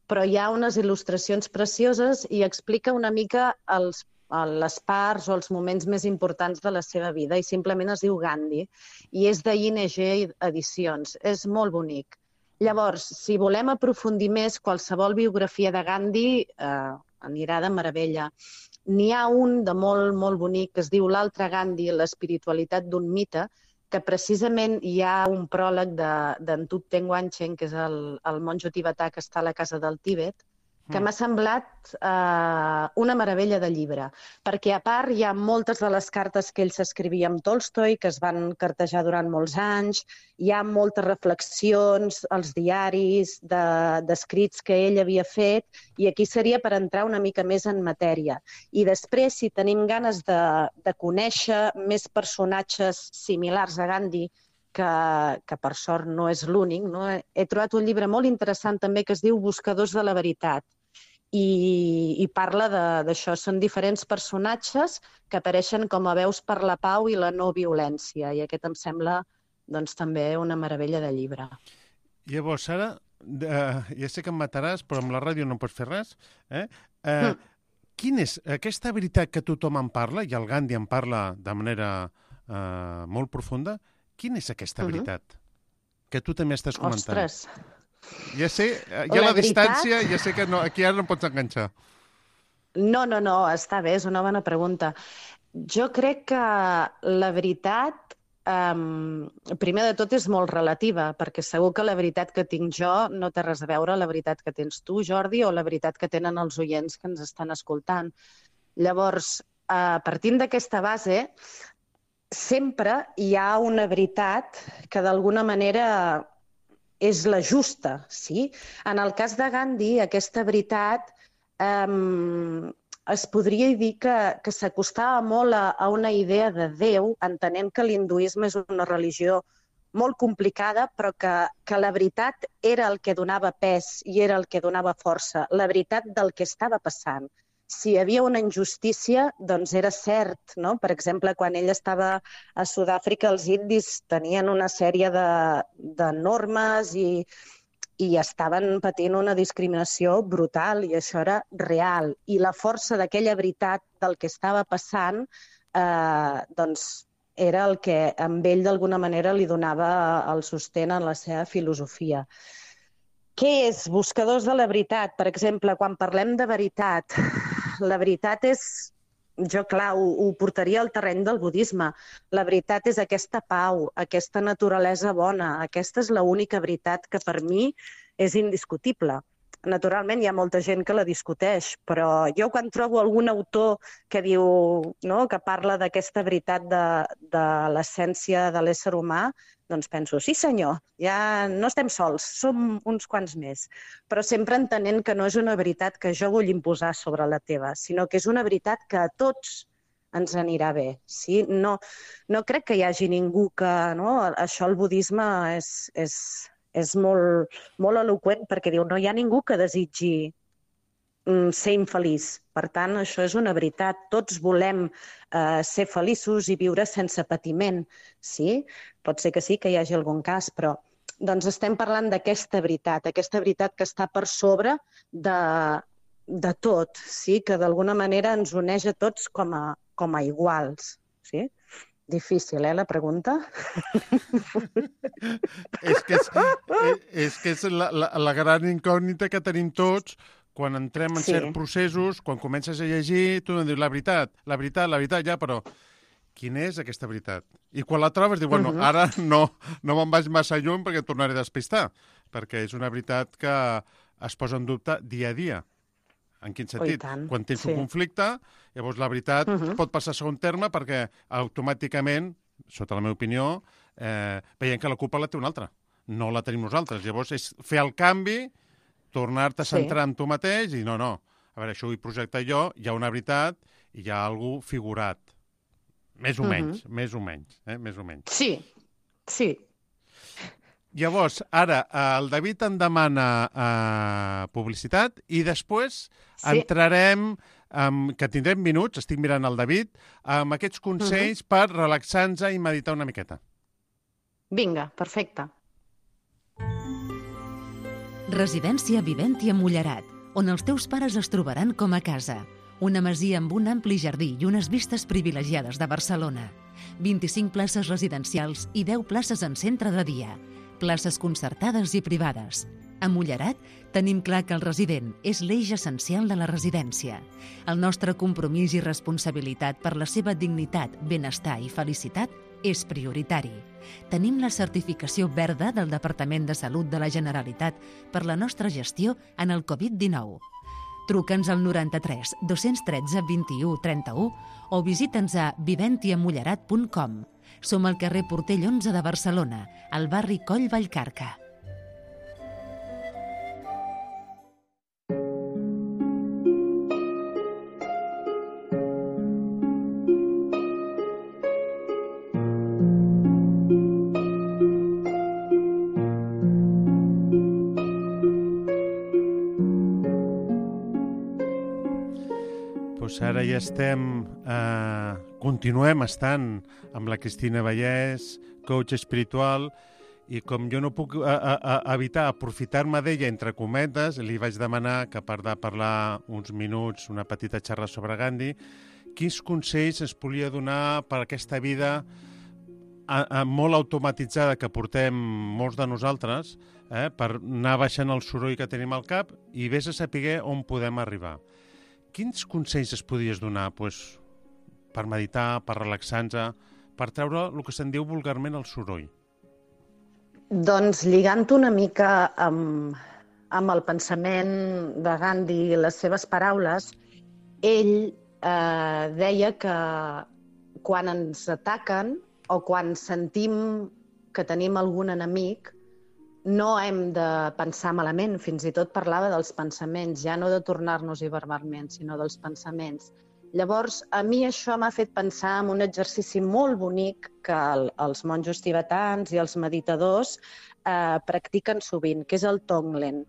però hi ha unes il·lustracions precioses i explica una mica les parts o els moments més importants de la seva vida, i simplement es diu Gandhi, i és de ING Edicions. És molt bonic. Llavors, si volem aprofundir més, qualsevol biografia de Gandhi anirà de meravella. N'hi ha un de molt, molt bonic que es diu L'altre Gandhi, l'espiritualitat d'un mite, que precisament hi ha un pròleg d'en Thupten Wanchen, que és el monjo tibetà que està a la casa del Tíbet, que m'ha semblat una meravella de llibre, perquè a part hi ha moltes de les cartes que ell s'escrivia amb Tolstoi, que es van cartejar durant molts anys, hi ha moltes reflexions, els diaris d'escrits que ell havia fet, i aquí seria per entrar una mica més en matèria. I després, si tenim ganes de conèixer més personatges similars a Gandhi, que per sort no és l'únic, no? He trobat un llibre molt interessant també que es diu Buscadors de la veritat, i parla d'això. Són diferents personatges que apareixen com a veus per la pau i la no violència, i aquest em sembla doncs, també una meravella de llibre. Llavors, Sara, ja sé que em mataràs, però amb la ràdio no pots fer res. Quina és aquesta veritat que tothom en parla, i el Gandhi en parla de manera molt profunda, quina és aquesta veritat que tu també estàs comentant? Ostres! Ja sé, hi ha la distància, ja sé que no, aquí ara no pots enganxar. No, està bé, és una bona pregunta. Jo crec que la veritat, primer de tot, és molt relativa, perquè segur que la veritat que tinc jo no té res a veure la veritat que tens tu, Jordi, o la veritat que tenen els oients que ens estan escoltant. Llavors, partint d'aquesta base, sempre hi ha una veritat que d'alguna manera és la justa, sí? En el cas de Gandhi, aquesta veritat es podria dir que s'acostava molt a una idea de Déu, entenent que l'hinduisme és una religió molt complicada, però que la veritat era el que donava pes i era el que donava força, la veritat del que estava passant. Si hi havia una injustícia, doncs era cert, no? Per exemple, quan ell estava a Sud-àfrica, els indis tenien una sèrie de normes i estaven patint una discriminació brutal, i això era real. I la força d'aquella veritat del que estava passant, doncs era el que amb ell d'alguna manera li donava el sostén en la seva filosofia. Què és Buscadors de la veritat? Per exemple, quan parlem de veritat, la veritat és, jo clar, ho portaria al terreny del budisme. La veritat és aquesta pau, aquesta naturalesa bona. Aquesta és l'única veritat que per mi és indiscutible. Naturalment hi ha molta gent que la discuteix, però jo quan trobo algun autor que diu, no, que parla d'aquesta veritat de l'essència de l'ésser humà, doncs penso, sí senyor, ja no estem sols, som uns quants més. Però sempre entenent que no és una veritat que jo vull imposar sobre la teva, sinó que és una veritat que a tots ens anirà bé. Sí? No crec que hi hagi ningú que... No? Això el budisme és molt, molt eloqüent, perquè diu no hi ha ningú que desitgi ser infeliç. Per tant, això és una veritat. Tots volem ser feliços i viure sense patiment. Sí? Pot ser que sí, que hi hagi algun cas, però doncs estem parlant d'aquesta veritat que està per sobre de tot, sí? Que d'alguna manera ens uneix a tots com a iguals. Sí? Difícil, la pregunta? És que és la gran incògnita que tenim tots quan entrem en certs processos, quan comences a llegir, tu em dius la veritat, ja, però quina és aquesta veritat? I quan la trobes, dius, bueno, ara no me'n vaig massa lluny perquè et tornaré a despistar, perquè és una veritat que es posa en dubte dia a dia. En quin sentit? Quan tens un conflicte, llavors la veritat pot passar a segon terme perquè automàticament, sota la meva opinió, veiem que la culpa la té un altre. No la tenim nosaltres. Llavors és fer el canvi, tornar-te a centrar en tu mateix i no. A veure, això ho he projectat jo, hi ha una veritat i hi ha algú figurat. Més o menys. Sí. Llavors, ara, el David en demana publicitat i després entrarem, que tindrem minuts, estic mirant el David, amb aquests consells per relaxar-nos i meditar una miqueta. Vinga, perfecte. Residència Viventi a Mullerat, on els teus pares es trobaran com a casa. Una masia amb un ampli jardí i unes vistes privilegiades de Barcelona. 25 places residencials i 10 places en centre de dia. Places concertades i privades. A Mullerat tenim clar que el resident és l'eix essencial de la residència. El nostre compromís i responsabilitat per la seva dignitat, benestar i felicitat és prioritari. Tenim la certificació verda del Departament de Salut de la Generalitat per la nostra gestió en el Covid-19. Truca'ns al 93 213 21 31 o visita'ns a viventiamullerat.com. Som al carrer Portell 11 de Barcelona, al barri Coll Vallcarca. Ara ja continuem estant amb la Cristina Vallès, coach espiritual, i com jo no puc evitar aprofitar-me d'ella entre cometes, li vaig demanar que, a part de parlar uns minuts, una petita xerrada sobre Gandhi, quins consells es podia donar per aquesta vida molt automatitzada que portem molts de nosaltres, per anar baixant el soroll que tenim al cap i vés a saber on podem arribar. Quins consells es podies donar per meditar, per relaxar-nos, per treure el que se'n diu vulgarment el soroll? Doncs lligant una mica amb el pensament de Gandhi i les seves paraules, ell deia que quan ens ataquen o quan sentim que tenim algun enemic, no hem de pensar malament, fins i tot parlava dels pensaments, ja no de tornar-nos-hi verbalment, sinó dels pensaments. Llavors, a mi això m'ha fet pensar en un exercici molt bonic que els monjos tibetans i els meditadors practiquen sovint, que és el Tonglen.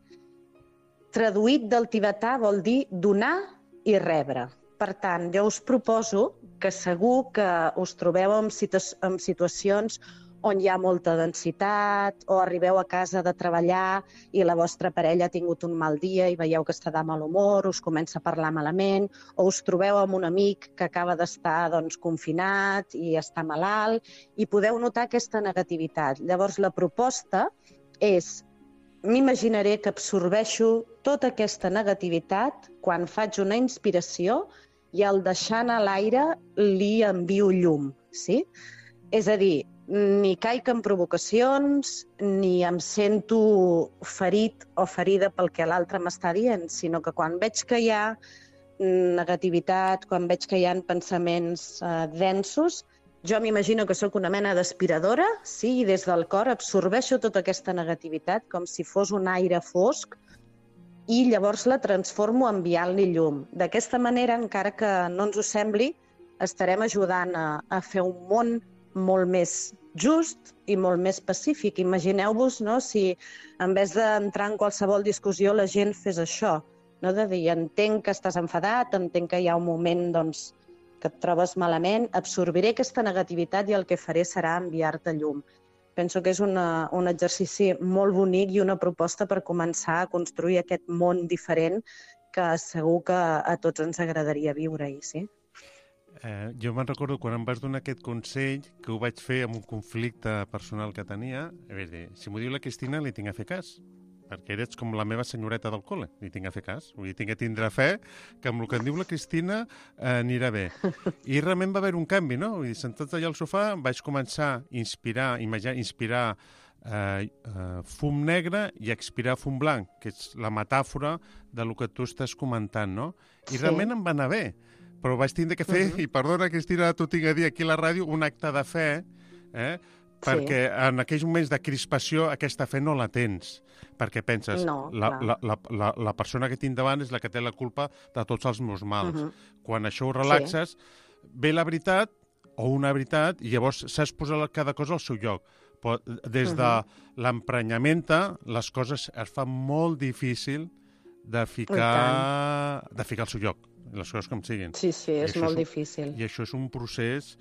Traduït del tibetà vol dir donar i rebre. Per tant, jo us proposo que segur que us trobeu en situacions on hi ha molta densitat, o arribeu a casa de treballar i la vostra parella ha tingut un mal dia i veieu que està de mal humor, us comença a parlar malament, o us trobeu amb un amic que acaba d'estar confinat i està malalt, i podeu notar aquesta negativitat. Llavors, la proposta és, m'imaginaré que absorbeixo tota aquesta negativitat quan faig una inspiració i al deixar anar l'aire li envio llum, sí? És a dir, ni caic en provocacions, ni em sento ferit o ferida pel que l'altre m'està dient, sinó que quan veig que hi ha negativitat, quan veig que hi ha pensaments densos, jo m'imagino que sóc una mena d'aspiradora, sí, i des del cor absorbeixo tota aquesta negativitat com si fos un aire fosc i llavors la transformo enviant-li llum. D'aquesta manera, encara que no ens ho sembli, estarem ajudant a fer un món molt més just i molt més pacífic. Imagineu-vos, no, si en vez d'entrar en qualsevol discussió la gent fes això, no, de dir, entenc que estàs enfadat, entenc que hi ha un moment que et trobes malament, absorbiré aquesta negativitat i el que faré serà enviar-te llum. Penso que és un exercici molt bonic i una proposta per començar a construir aquest món diferent que segur que a tots ens agradaria viure-hi, sí? Jo me'n recordo quan em vas donar aquest consell que ho vaig fer amb un conflicte personal que tenia. A veure, si m'ho diu la Cristina, li tinc a fer cas, perquè eres com la meva senyoreta del col·le, li tinc a fer cas. Vull dir, tinc a tindre fe que amb el que em diu la Cristina anirà bé. I realment va haver un canvi, no? Vull dir, sentats allà al sofà, vaig començar a inspirar fum negre i expirar fum blanc, que és la metàfora del que tu estàs comentant, no? I realment em va anar bé. Però vaig tindre que fer, i perdona, Cristina, t'ho tinc a dir aquí a la ràdio, un acte de fe, perquè en aquells moments de crispació aquesta fe no la tens, perquè penses, la persona que tinc davant és la que té la culpa de tots els meus mals. Quan això ho relaxes, ve la veritat, o una veritat, i llavors saps posar cada cosa al seu lloc. Però des de l'emprenyament, les coses es fan molt difícil de ficar al seu lloc, les coses com siguin. Sí, és molt difícil. I això és un procés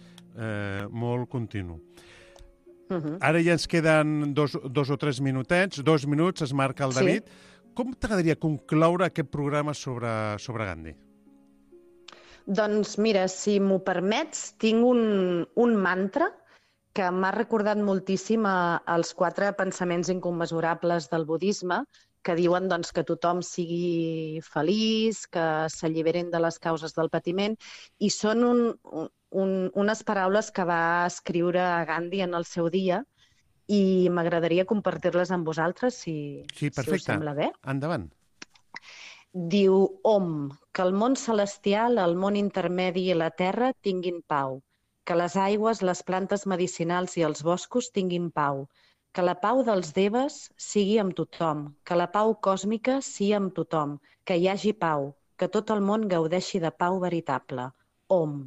molt continu. Ara ja ens queden dos o tres minutets, 2 minuts, es marca el David. Com t'agradaria concloure aquest programa sobre Gandhi? Doncs mira, si m'ho permets, tinc un mantra que m'ha recordat moltíssim als 4 pensaments incommensurables del budisme, que diuen que tothom sigui feliç, que s'alliberin de les causes del patiment, i són unes paraules que va escriure Gandhi en el seu dia, i m'agradaria compartir-les amb vosaltres, si us sembla bé. Endavant. Diu Om, que el món celestial, el món intermedi i la terra tinguin pau, que les aigües, les plantes medicinals i els boscos tinguin pau, que la pau dels Devas sigui amb tothom, que la pau còsmica sigui amb tothom, que hi hagi pau, que tot el món gaudeixi de pau veritable. Om,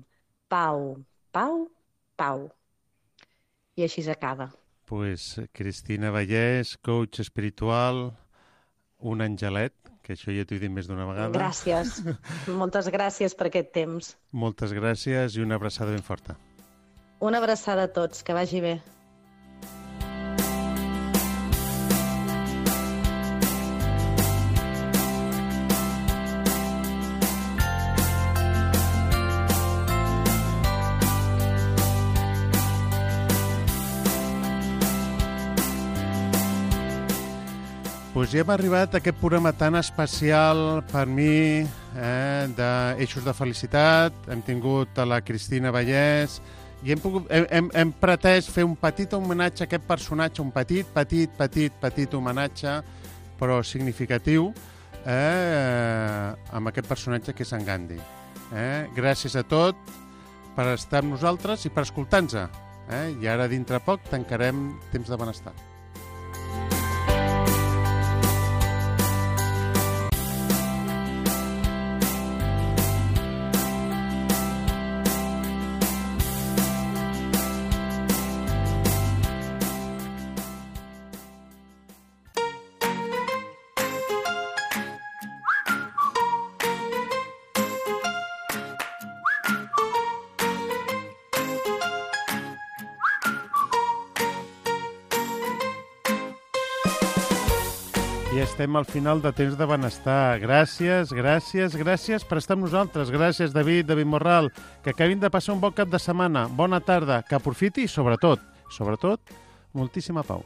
pau, pau, pau. I així s'acaba. Pues Cristina Vallès, coach espiritual, un angelet, que això ja t'ho he dit més d'una vegada. Gràcies. Moltes gràcies per aquest temps. Moltes gràcies i una abraçada ben forta. Una abraçada a tots, que vagi bé. Doncs ja hem arribat a aquest programa tan especial per mi, d'Eixos de Felicitat. Hem tingut a la Cristina Vallès i hem pretès fer un petit homenatge a aquest personatge, un petit homenatge, però significatiu, amb aquest personatge que és en Gandhi. Gràcies a tot per estar amb nosaltres i per escoltar-nos. I ara, dintre poc, tancarem Temps de Benestar. I estem al final de Temps de Benestar. Gràcies per estar amb nosaltres. Gràcies, David Morral. Que acabin de passar un bon cap de setmana. Bona tarda, que aprofiti i, sobretot, moltíssima pau.